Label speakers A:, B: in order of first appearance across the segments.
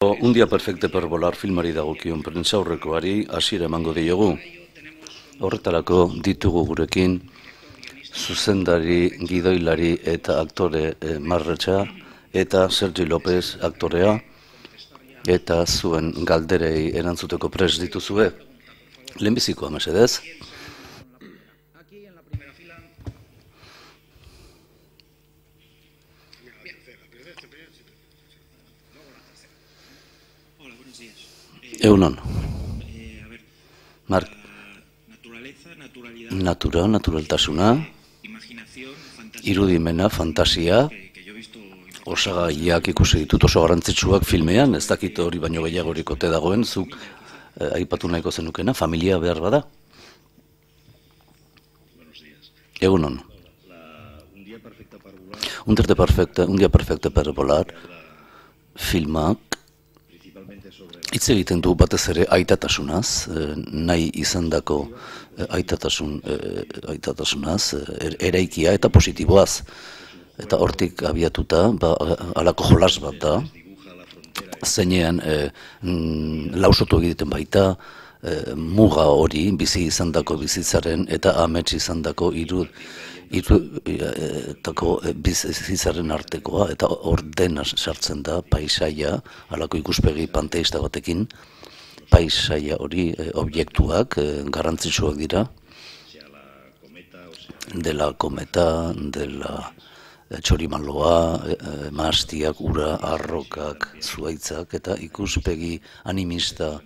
A: Un dia perfecte per volar filmari dagokion prentsaurrekoari hasiera emango diogu. Horretarako ditugu gurekin zuzendari, gidoilari eta aktore Marretxa eta Sergi López aktorea, eta zuen galderei erantzuteko prest dituzue. Lehenbizikoa mesedez. Egunon. Mark. Naturaltasuna, irudimena, fantasia, osagaiak ikusi ditut oso garrantzitsuak filmean, ez dakit hori baino gehiagorik ote dagoen, zuk aipatu nahiko zenukena, familia behar bada. Egunon. Un día perfecto para volar filmak hitz egiten du batez ere aitatasunaz, nahi izandako aitatasunaz, eraikia eta positiboaz. Eta hortik abiatuta, halako jolas bat da, zeinean lausotu egiten baita, muga hori bizi izandako bizitzaren eta amets izandako bizitzaren artekoa, eta ordena sartzen da paisaia, halako ikuspegi panteista batekin, paisaia hori objektuak garrantzitsuak dira, dela kometa, dela txorimaloa, mahastiak, ura, arrokak, zuaitzak, eta ikuspegi animista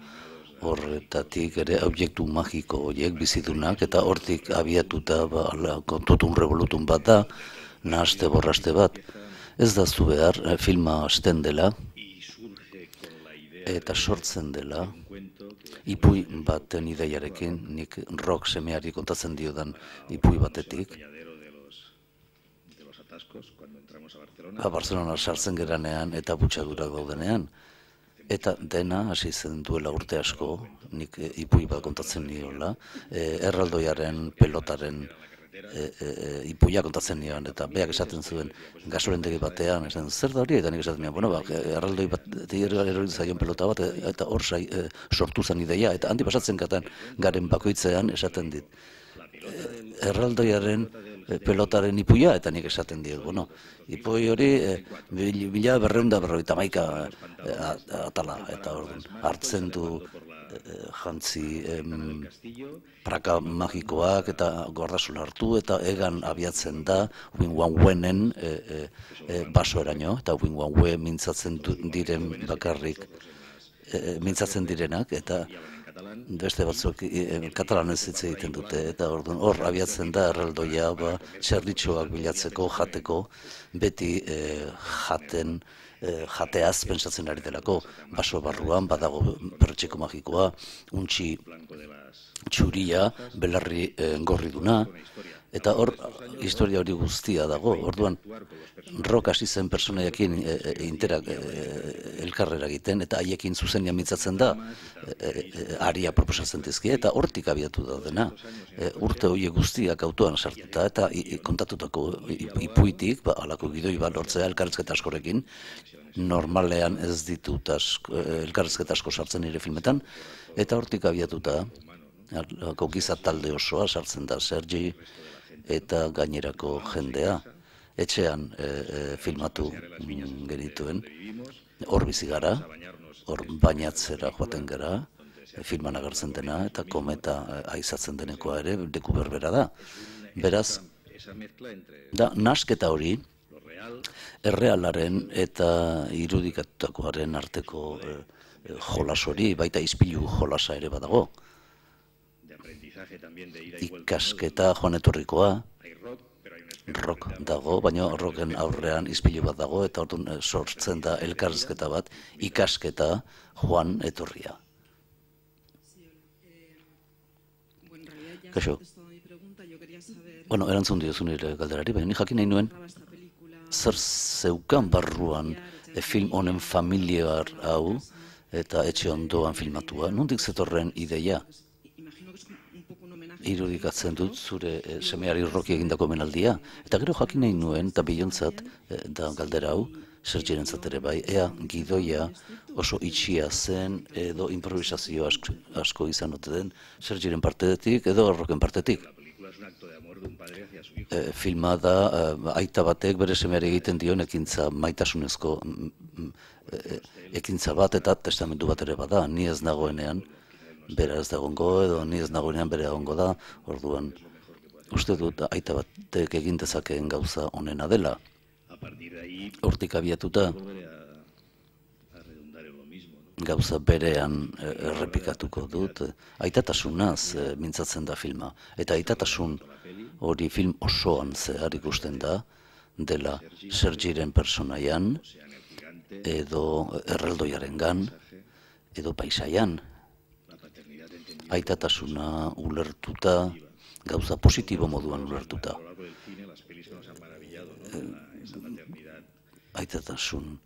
A: horretatik ere objektu magiko horiek bizidunak, eta hortik abiatuta totum revolutun bat da, nahaste borraste bat. Ez da zu behar filma hasten dela eta sortzen dela ipui baten ideiarekin, nik rock semeari kontatzen diodan ipui batetik. Barcelona sartzen geranean eta butxadurak daudenean. Eta dena hasi zen duela urte asko, nik ipui bat kontatzen niola, erraldoiaren pelotaren ipuia kontatzen nion, eta beak esaten zuen gasolendegi batean, esan zer da hori, eta nik esaten nion, erraldoi bat erori zaion pelota bat, eta hor sortu zen ideia, eta handi pasatzen garen bakoitzean esaten dit. Erraldoiaren pelotaren ipuia, eta nik esaten diot, ipoi hori 1251 atala, eta hartzen du jantzi praka magikoak eta gordasun hartu, eta egan abiatzen da Win-Wan-Wenen basoeraino, eta Win-Wan-We mintzatzen diren bakarrik mintzatzen direnak, eta beste batzuk katalanez hitz egiten dute, eta hor abiatzen da erraldoia txerritxoak bilatzeko, jateko, beti jateaz pentsatzen ari delako, baso barruan badago perretxeko magikoa, untxi txuria, belarri gorriduna, eta hor historia hori guztia dago. Orduan rock hasi zen personaiekin elkarrera egiten, eta haiekin zuzenean mintzatzen da, aria proposatzen dizkie, eta hortik abiatu daudena. Urte horiek guztiak autoan sartuta, eta kontatutako ipuitik, halako gidoi bat lortzea elkarrizketa askorekin, normalean ez ditut elkarrizketa asko sartzen nire filmetan, eta hortik abiatuta, giza talde osoa sartzen da, Sergi eta gainerako jendea. Etxean filmatu genituen, hor bizi gara, hor bainatzera joaten gara, filman agertzen dena, eta kometa aizatzen denekoa ere, leku berbera da. Beraz, nahasketa hori, errealaren eta irudikatutakoaren arteko jolas hori, baita ispilu jolasa ere badago. Ikasketa joan etorrikoa, rock dago, baina rocken aurrean ispilu bat dago, eta orduan sortzen da elkarrizketa bat, ikasketa joan etorria. Kaixo. Erantzun diozu nire galderari, baina ni jakin nahi nuen, zer zeukan barruan film honen familiar hau, eta etxe ondoan filmatua, nondik zetorren ideia? Irudikatzen dut zure semeari Rocky egindako omenaldia, eta gero jakin nahi nuen, eta bilontzat da galdera hau, Sergirentzat ere bai, ea gidoia oso itxia zen edo improvisazio asko izan ote den Sergiren partetik edo Roken partetik. Filma da aita batek bere semeari egiten dion ekintza maitasunezko ekintza bat eta testamendu bat ere bada, ni ez nagoenean bera ez dagongo edo ni ez nagoenean bere egongo da, orduan uste dut aita batek egin dezakeen gauza onena dela. Hortik abiatuta gauza berean errepikatuko dut, aitatasunaz mintzatzen da filma, eta aitatasun hori film osoan zehar ikusten da, dela Sergiren personaian, edo erraldoiarengan, edo paisaian. Aitatasuna ulertuta, gauza positibo moduan ulertuta. Aitatasun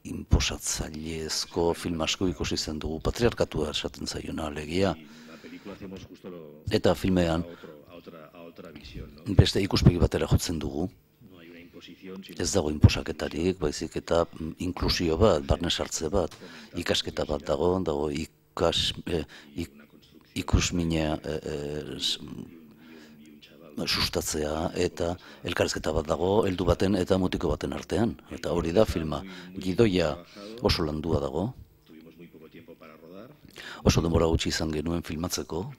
A: inposatzailezko film asko ikusi zen dugu, patriarkatua esaten zaiona alegia. Eta filmean beste ikuspegi batera jotzen dugu. Ez dago inposaketarik, baizik eta inklusio bat, barne sartze bat, ikasketa bat dago ikusmina sustatzea eta elkarrizketa bat dago heldu baten eta mutiko baten artean. Eta hori da filma. Gidoia oso landua dago. Oso denbora gutxi izan genuen filmatzeko.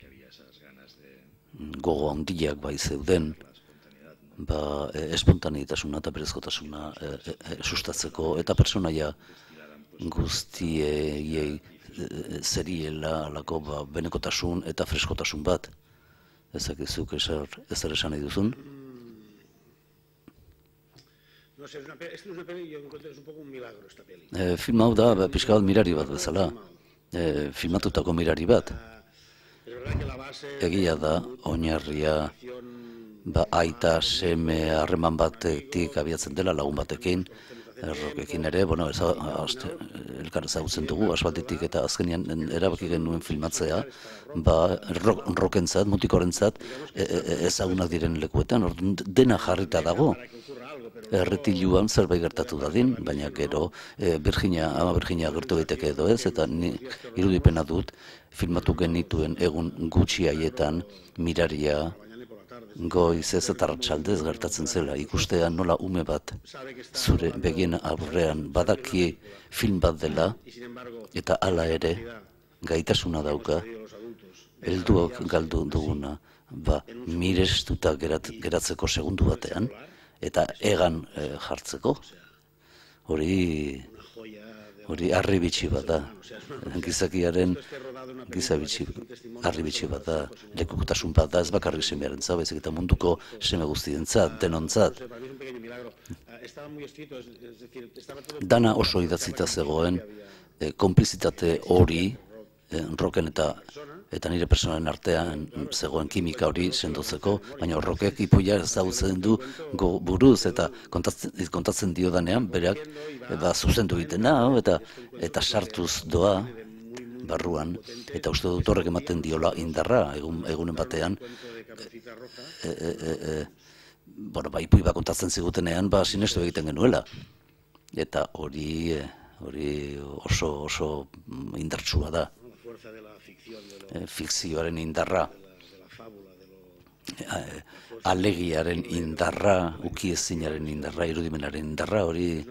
A: Gogo handiak bai zeuden. Espontaneitasuna eta berezkotasuna sustatzeko eta pertsonaia guztiei zeriela alako benekotasun eta freskotasun bat. Ezakizuk ezer esan nahi duzun? Film hau da pixka bat mirari bat bezala. Filmatutako mirari bat. Egia da, oinarria aita seme harreman batetik abiatzen dela lagun batekin, Rokekin ere, elkar ezagutzen dugu, asfaltetik eta azkenean erabaki genuen filmatzea, Rokentzat, mutikorentzat ezagunak diren lekuetan, dena jarrita dago. Erretiluan zerbait gertatu dadin, baina gero ama Virginia gertu daiteke edo ez, eta ni irudipena dut filmatu genituen egun gutxi haietan miraria goizez eta arratsaldez gertatzen zela, ikustean nola ume bat zure begien aurrean badaki film bat dela, eta hala ere gaitasuna dauka, helduok galdu duguna, mirestuta geratzeko segundu batean, eta egan jartzeko, hori harribitxi bat da, gizakiaren harribitxi bat da, lekuktasun bat da, ez bakarrik semearen zau, baizik eta munduko seme guztientzat, denontzat. Dana oso idatzita zegoen, konplizitate hori, Roken eta nire personalen artean zegoen kimika hori sendotzeko, baina Rokek ipuia ezagutzen du buruz eta kontatzen dio danean, bereak zuzendu egiten eta sartuz doa barruan, eta uste dut horrek ematen diola indarra egunen batean, ipui bat kontatzen zigutenean, sinestu egiten genuela. Eta hori oso indartsua da. Fikzioaren indarra, alegiaren indarra, ukiezinaren indarra, irudimenaren indarra, hori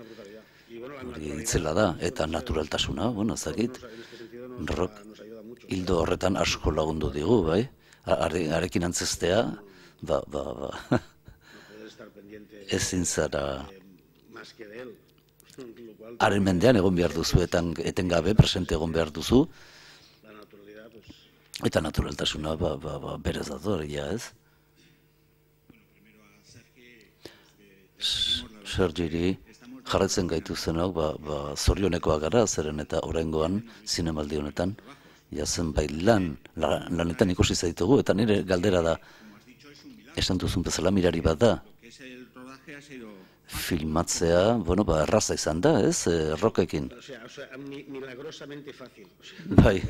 A: itzela da, eta naturaltasuna, ezakit, Rok hildo horretan asko lagundu digu, bai? Arekin antzestea, ezin zara haren mendean egon behar duzu, etengabe presente egon behar duzu, eta naturaltasuna berez dator, ez? Sergiri jarretzen gaitu zenok, zorionekoa gara, zeren eta oraingoan zinemaldi honetan, zenbait lanetan ikusi zaitugu, eta nire galdera da, esan duzun bezala mirari bat da, filmatzea, erraza izan da, ez, Rokekin. Bai,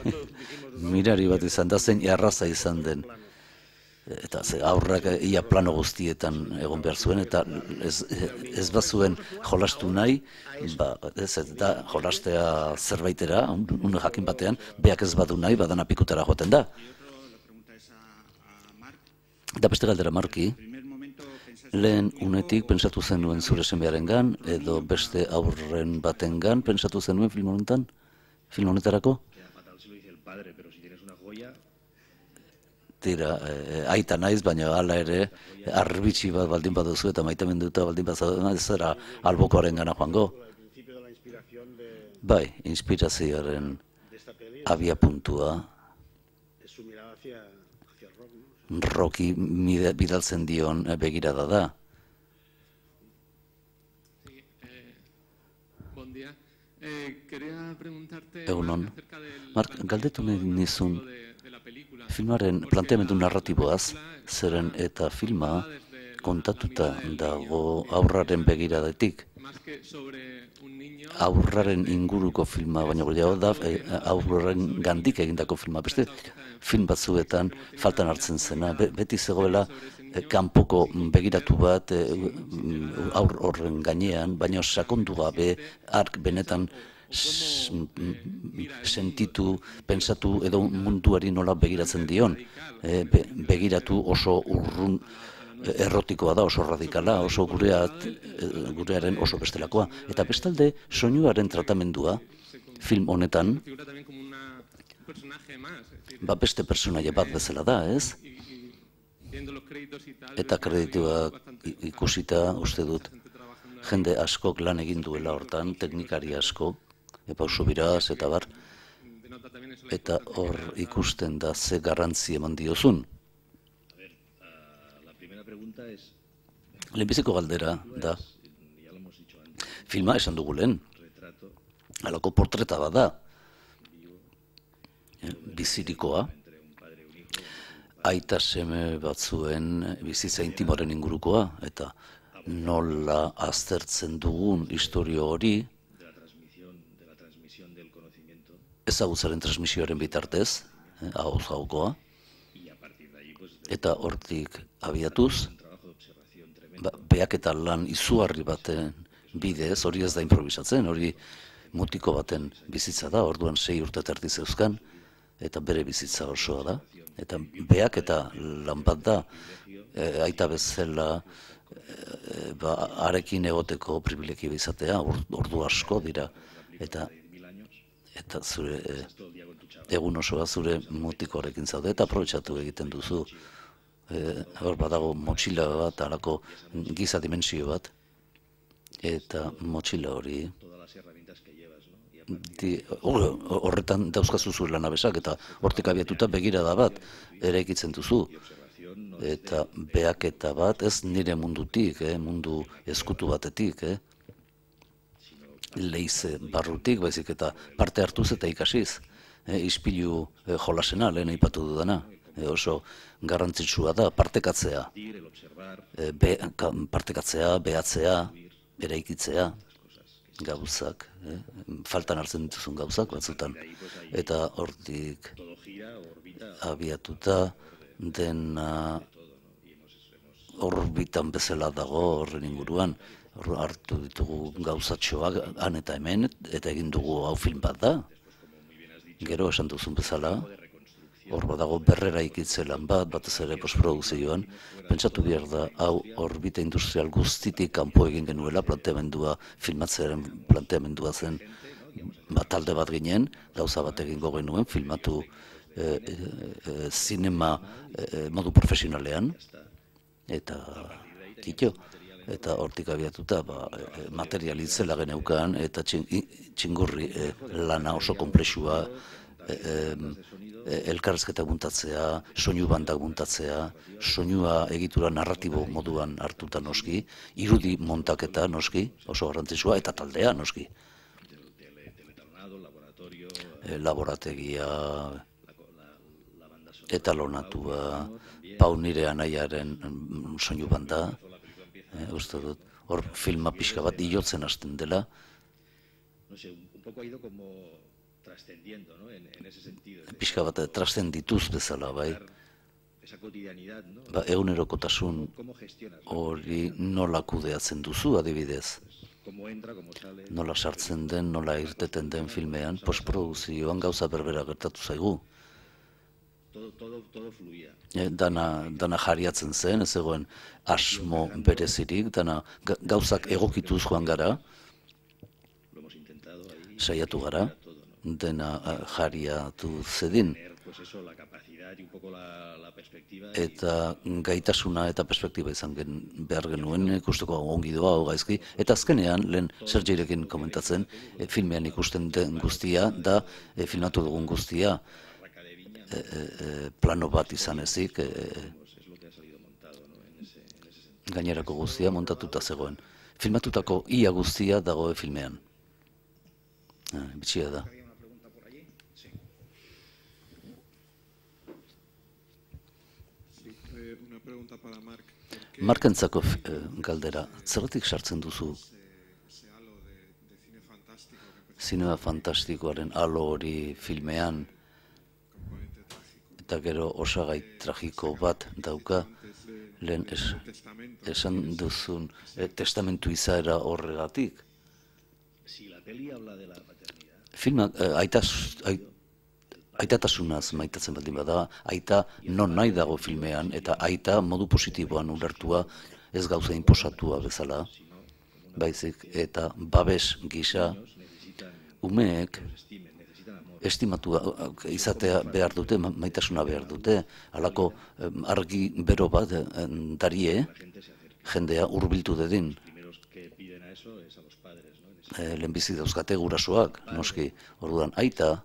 A: mirari bat izan da, zein erraza izan den. eta aurrak ia plano guztietan egon behar zuen, eta ez bazuen jolastu nahi, eta jolastea zerbaitera, une jakin batean, beak ez badu nahi, badana pikutara joaten da. Eta beste galdera, Marki, lehen unetik pentsatu zenuen zure semearengan, edo beste aurren batengan pentsatu zenuen film honetarako? Tira, aita naiz, baina hala ere, arbitxi bat baldin baduzu eta maitamenduta baldin baduzu, ez zera albokoaren gana joango. Bai, inspirazioaren abia puntua, Rocky bidaltzen dion begirada da. Egunon, Mark, galdetu nahi nizun, filmaren planteamendu narratiboaz, zeren eta filma kontatuta dago aurraren begiradetik. Aurraren inguruko filma, baina gehiago da aurraren gandik egindako filma. Beste film batzuetan faltan hartzen zena, beti zegoela kanpoko begiratu bat aur horren gainean, baina sakondu gabe ark benetan sentitu, pensatu edo munduari nola begiratzen dion. Begiratu oso urrun errotikoa da, oso radikala, oso gurearen oso bestelakoa. Eta bestalde, soinuaren tratamendua film honetan, beste personaia bat bezala da, ez? Eta kredituak ikusita, uste dut, jende askok lan egin duela hortan, teknikari askok, Pauso Biraz eta bar, eta hor ikusten da ze garrantzi eman diozun. Lehenbiziko galdera da, filma esan dugu lehen, halako portreta bat da, bizirikoa, aita seme batzuen bizitza intimoren ingurukoa, eta nola aztertzen dugun historio hori, ezagutzaren transmisioaren bitartez, ahoz gaukoa, eta hortik abiatuz, beak eta lan izugarri baten bidez, hori ez da improvisatzen, hori mutiko baten bizitza da, orduan 6 urte terdi zeuzkan, eta bere bizitza osoa da, eta beak eta lan bat da, aita bezala, arekin egoteko privilegio izatea, ordu asko dira, eta zure egun osoa zure mutikoarekin zaude, eta aprobetxatu egiten duzu. Hor badago motxila bat, halako giza dimensio bat, eta motxila hori horretan dauzkazu zure lanabesak, eta hortik abiatuta begirada bat eraikitzen duzu. Eta behaketa bat ez nire mundutik, mundu ezkutu batetik, leize barrutik, baizik eta parte hartuz eta ikasiz. Ispilu jolasena, lehen aipatu dudana. Oso garrantzitsua da partekatzea. Partekatzea, behatzea, eraikitzea, gauzak, faltan hartzen dituzun gauzak batzutan. Eta hortik abiatuta dena orbitan bezala dago horren inguruan. Hartu ditugu gauzatxoak han eta hemen, eta egin dugu hau film bat da. Gero esan duzun bezala, hor badago berrera ikitze lan bat, batez ere postprodukzioan, pentsatu behar da, hau orbita industrial guztitik kanpo egin genuela, planteamendua, filmatzearen planteamendua zen, talde bat ginen, gauza bat egingo genuen, filmatu zinema modu profesionalean, eta kito. Eta hortik abiatuta material itzela geneukan, eta txingurri lana oso komplexua, elkarrezketa muntatzea, soinu bandak muntatzea, soinua egitura narratibo moduan hartuta noski, irudi montaketa noski, oso garrantzitsua, eta taldea noski. Laborategia, etalonatua, Pau nire anaiaren soinu banda, uste dut, hor filma pixka bat iotzen hasten dela. Pixka bat trascendituz bezala, bai. egunerokotasun hori nola kudeatzen duzu adibidez? Nola sartzen den, nola irteten den filmean, postprodukzioan gauza berbera gertatu zaigu. Dana jariatzen zen, ez egoen asmo berezirik, dana gauzak egokituz joan gara, saiatu gara, dena jariatu zedin. Eta gaitasuna eta perspektiba izan behar genuen, ikusteko ongi doa, gaizki, eta azkenean, lehen Sergirekin komentatzen, filmean ikusten den guztia, da filmatu dugun guztia, plano bat izan ezik, gainerako guztia montatuta zegoen. Filmatutako ia guztia dagoe filmean. Bitxia da. Markentzako galdera, zergatik sartzen duzu zinema fantastikoaren alo hori filmean, eta gero osagai tragiko bat dauka, lehen esan duzun testamentu izaera horregatik. Filmak aitatasunaz maitatzen baldin bada, aita non nahi dago filmean, eta aita modu positiboan ulertua, ez gauza inposatua bezala, baizik, eta babes gisa, umeek estimatua izatea behar dute, maitasuna behar dute, halako argi bero bat darie, jendea hurbiltu dedin. Lehenbizi dauzkate gurasoak, noski, orduan aita,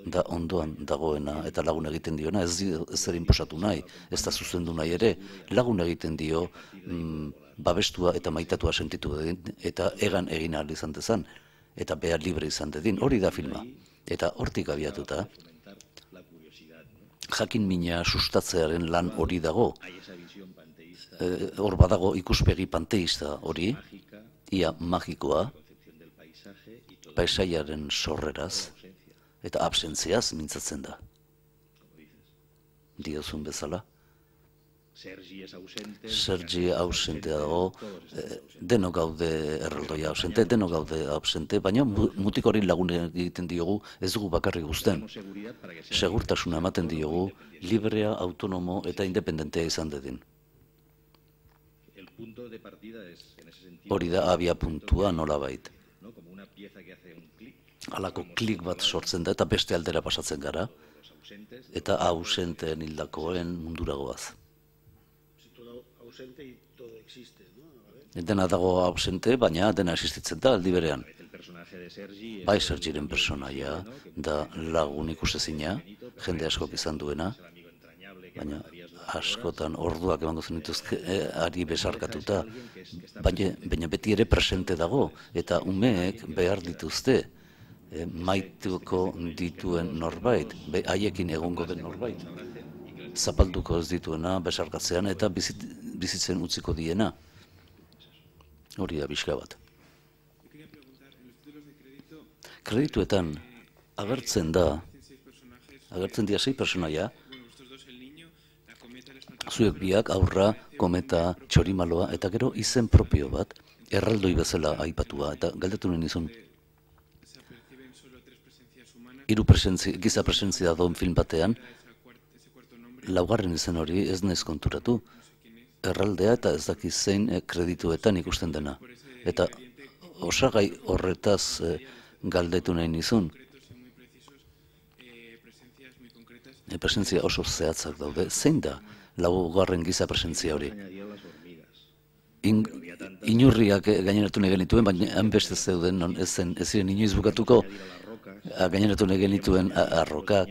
A: da ondoan dagoena eta lagun egiten diona, ez zer inposatu nahi, ez da zuzendu nahi ere, lagun egiten dio babestua eta maitatua sentitu dedin, eta egan egin ahal izan dezan, eta behar libre izan dedin, hori da filma. Eta hortik abiatuta, jakin mina sustatzearen lan hori dago, hor badago ikuspegi panteista hori, ia magikoa, paisaiaren sorreraz, eta absentziaz mintzatzen da. Diozun bezala. Sergi ausente dago, deno gaude erraldoia ausente, deno gaude ausente, baina mutik hori lagun egiten diogu ez dugu bakarrik guzten. Segurtasuna ematen diogu, librea, autonomo eta independentea izan dedin. Hori da abia puntua nolabait. Halako klik bat sortzen da eta beste aldera pasatzen gara, eta ausenteen hildakoen munduragoaz. Dena dago ausente, baina dena existitzen da aldi berean. Bai Sergiren personaia da lagun ikusezina, jende askok izan duena, baina askotan orduak emango zenituzke ari besarkatuta, baina beti ere presente dago, eta umeek behar dituzte, maituko dituen norbait, haiekin egongo den norbait, zapalduko ez dituena besarkatzean eta bizitzen utziko diena. Hori da pixka bat. Kredituetan agertzen dira 6 personaia, zuek biak, aurra, kometa, txorimaloa, eta gero izen propio bat, erraldoi bezala aipatua, eta galdetu nuen izun. Giza presentzia dagoen film batean, laugarren izen hori ez naiz konturatu. Erraldea eta ez dakiz zein kredituetan ikusten dena. Eta osagai horretaz galdetu nahi nizun. Presentzia oso zehatzak daude. Zein da laugarren giza presentzia hori? Inurriak gaineratu nahi genituen, baina hanbeste zeuden, ez ziren inoiz bukatuko, gaineratu nahi genituen arrokak,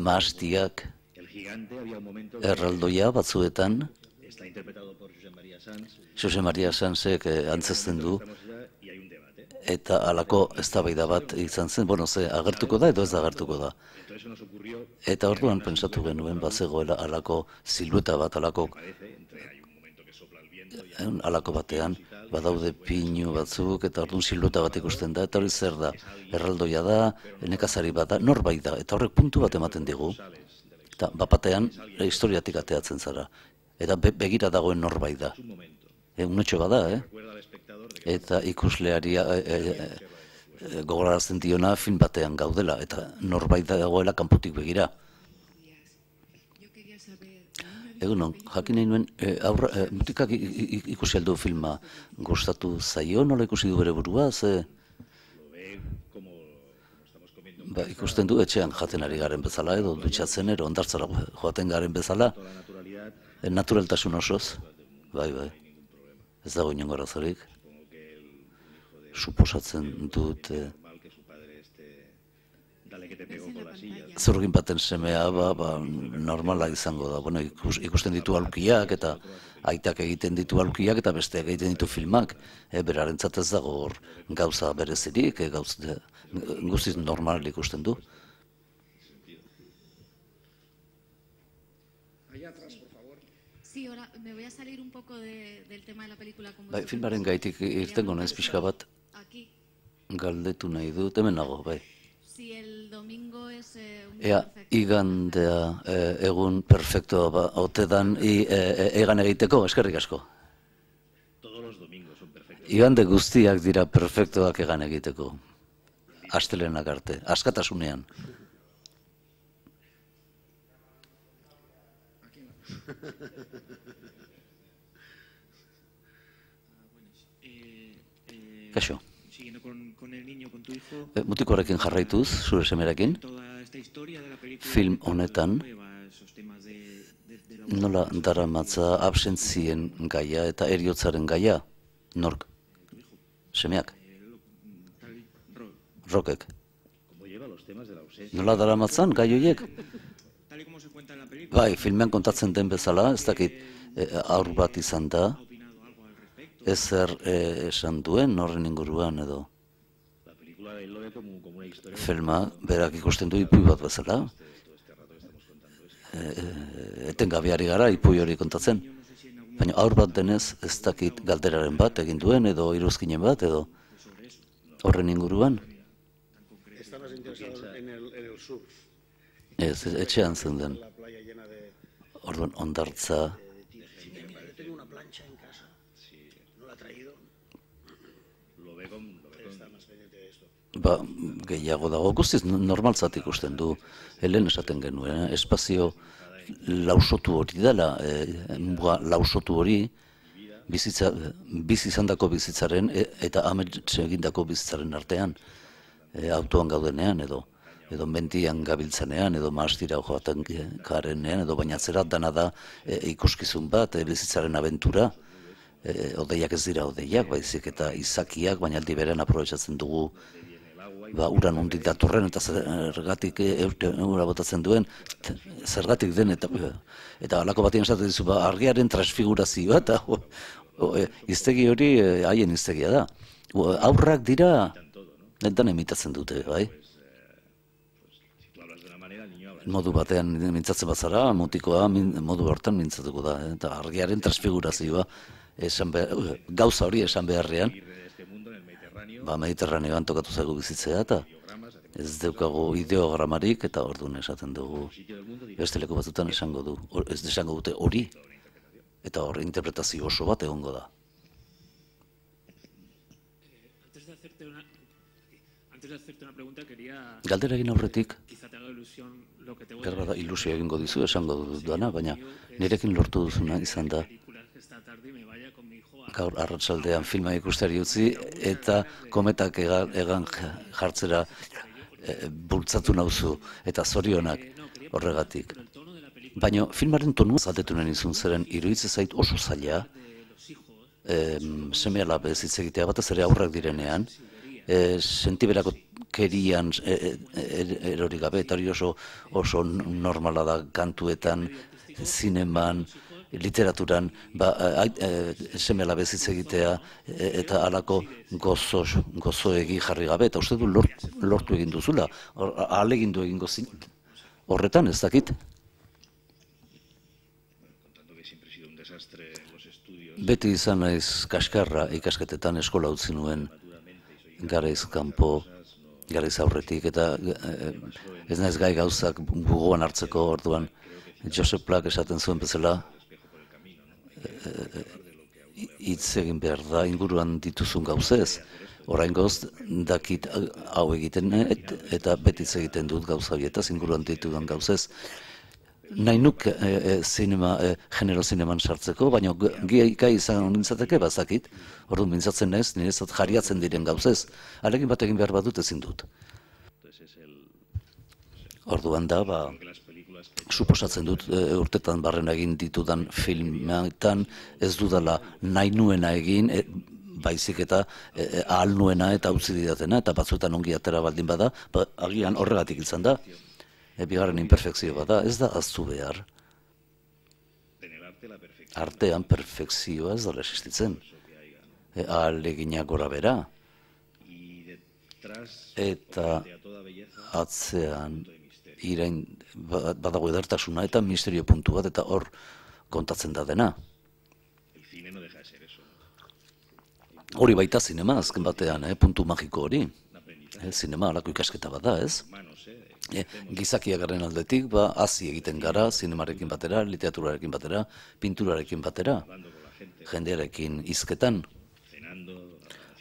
A: maastiak, erraldoia batzuetan, Jose Maria Sanzek antzesten du, eta halako eztabaida bat izan zen, agertuko da edo ez agertuko da. Eta orduan pentsatu genuen bazegoela halako silueta bat, halako batean, badaude pinu batzuk, eta orduan silueta bat ikusten da, eta hori zer da, erraldoia da, nekazari bat da, norbait da, eta horrek puntu bat ematen digu, Eta bapatean historiatik ateatzen zara. Eta begira dagoen norbait da. Unetxo bada, Eta ikusleari gogorarazten diona film batean gaudela, eta norbait dagoela kanpotik begira. Egunon, jakin nahi nuen, mutikak ikusi aldu filma gustatu zaio, nola ikusi du bere burua, ze... Ikusten du etxean jaten ari garen bezala, edo dutxatzen ero ondartzara joaten garen bezala, naturaltasun osoz, bai, ez dago inongo arazorik. Suposatzen dut zurgin baten semea normala izango da. Bueno, ikusten ditu aulkiak eta aitak egiten ditu aulkiak eta besteak egiten ditu filmak. Berarentzat ez dago hor gauza berezirik, guztiz normal ikusten du.
B: Sí, ahora me voy a salir un poco del tema de la película.
A: Filmaren gaitik irtengo naiz pixka bat galdetu nahi dut, hemen nago, bai. Ea, igandea egun perfektoa ote dan egan egiteko, eskerrik asko. Igande guztiak dira perfektoak egan egiteko. Astelenak arte, askatasunean. Kaixo. Mutikoarekin jarraituz, zure semerekin, film honetan nola daramatza absentzien gaia eta heriotzaren gaia, nork? Semeak? Rokek? Nola daramatzan gai horiek? Bai, filmean kontatzen den bezala, ez dakit aur bat izan da, ezer esan duen horren inguruan edo. Filma, berak ikusten du ipui bat bezala. Etengabeari gara ipui hori kontatzen. Baina aur bat denez ez dakit galderaren bat egin duen edo iruzkinen bat edo horren inguruan. Ez, etxean zen den. Orduan ondartza. Gehiago dago, guztiz normaltzat ikusten du, helen esaten genuen, espazio lausotu hori dela, lausotu hori, bizi izandako bizitzaren eta amets egindako bizitzaren artean, autoan gaudenean edo mentian gabiltzenean, edo maastira joaten garenean, edo bainatzera dana da ikuskizun bat, bizitzaren abentura, odeiak ez dira odeiak, baizik eta izakiak, baina aldi berean aprobetxatzen dugu uran ondik datorren eta zergatik eura botatzen duen, zergatik den eta alako batien esaten dizu, argiaren transfigurazioa eta iztegi hori haien iztegia da. Aurrak dira, netan emitatzen dute, bai? Modu batean mintzatzen bazara, mutikoa modu hortan mintzatuko da, eta argiaren transfigurazioa gauza hori esan beharrean, Mediterraneoan tokatu zaigu bizitzea eta ez daukagu ideogramarik eta orduan esaten dugu beste leku batzutan esango dute hori eta hor interpretazio oso bat egongo da. Galdera egin aurretik, ilusio egingo dizu esango duana, baina nirekin lortu duzuna izan da gaur arratsaldean filma ikustari utzi eta kometak egan jartzera bultzatu nauzu eta zorionak horregatik. Baina filmaren tonua galdetu nahi nizun zeren iruditzen zait oso zaila seme-alabez hitz egitea batez ere aurrak direnean, sentiberako kerian erori gabe eta hori oso normala da kantuetan, zineman, literaturan seme-alabez hitz egitea eta halako gozoegi jarri gabe, eta uste du lortu egin duzula, ahalegindu egingo zin, horretan ez dakit. Beti izan naiz kaskarra ikasketetan eskola utzi nuen garaiz kanpo garaiz aurretik, eta ez naiz gai gauzak bugoan hartzeko. Orduan Josep Plak esaten zuen bezala, hitz egin behar da inguruan dituzun gauzez. Oraingoz dakit hau egiten eta beti hitz egiten dut gauza horietaz inguruan ditudan gauzez. Nahi nuk genero zineman sartzeko, baina gai izan nintzateke bazakit, orduan mintzatzen naiz, niretzat jariatzen diren gauzez, alegin bat egin behar badut ezin dut. Orduan da, suposatzen dut urtetan barren egin ditudan filmetan ez dudala nahi nuena egin, baizik eta ahal nuena eta utzi didatena, eta batzuetan ongi atera baldin bada, agian horregatik izan da. Bigarren imperfekzio bada, ez da ahaztu behar. Artean perfekzioa ez dela existitzen. Ahaleginak gora bera. Eta atzean irain badago edertasuna eta misterio puntu bat, eta hor kontatzen da dena. Hori baita zinema, azken batean, puntu magiko hori. Zinema alako ikasketa bat da, ez? Gizakia garen aldetik, hazi egiten gara, zinemarekin batera, literaturarekin batera, pinturarekin batera, jendearekin hizketan,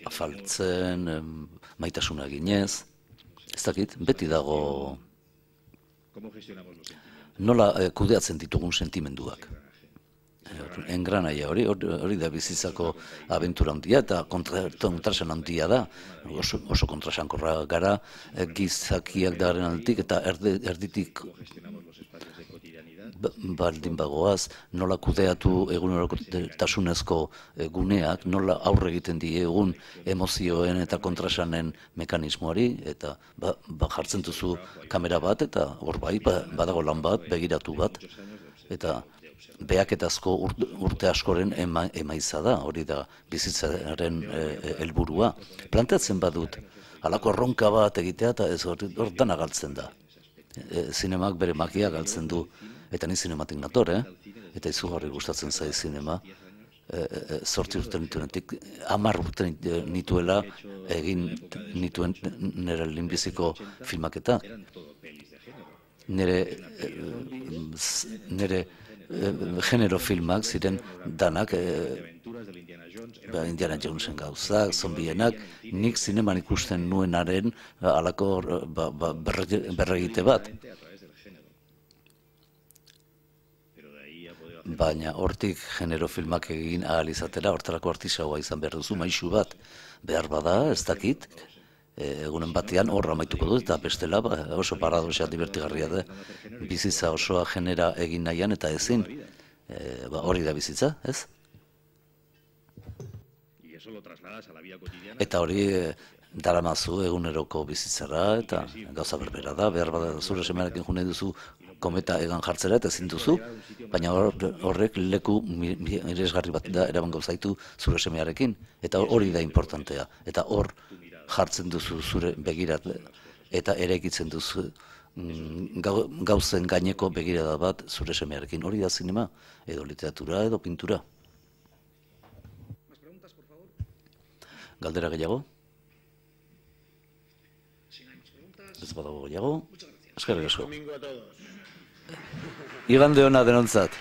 A: afaltzen, maitasuna eginez, ez dakit, beti dago nola kudeatzen ditugun sentimenduak. Engranaia hori da bizitzako abentura handia eta kontrasan handia da, oso kontrasankorra gara, gizakiak daren aldetik eta erditik baldin bagoaz, nola kudeatu egunerokotasunezko guneak, nola aurre egiten diegun emozioen eta kontrasanen mekanismoari, eta jartzen duzu kamera bat, eta hor bai, badago lan bat, begiratu bat, eta behaketazko urte askoren emaitza da, hori da bizitzaren helburua. Planteatzen badut, halako erronka bat egitea, eta ez hor dana galtzen da. Zinemak bere magia galtzen du, eta ni zinematik nator, eta izugarri gustatzen zai zinema. 8 urte nituenetik, 10 urte nituela egin nituen nire lehenbiziko filmaketa. Nire genero filmak ziren danak, Indiana Jonesen gauzak, zombienak, nik zineman ikusten nuenaren halako berregite bat. Baina hortik genero filmak egin ahal izatera, hortarako artisaua izan behar duzu, maisu bat behar bada, ez dakit, egunen batean horra amaituko dut, eta bestela oso paradoxea divertigarria da, bizitza osoa genera egin nahian eta ezin, hori da bizitza, ez? Eta hori daramazu eguneroko bizitzara, eta gauza berbera da, behar bada zure semearekin june duzu kometa egan jartzera eta ezin duzu, baina horrek leku miresgarri bat da eraman gauzaitu zure semearekin, eta hori da importantea, eta hor jartzen duzu zure begirat eta eraikitzen duzu gauzen gaineko begirada bat zure semearekin. Hori da zinema, edo literatura, edo pintura. Galdera gehiago? Ez badago gehiago? Eskerrik asko. Igande ona denontzat.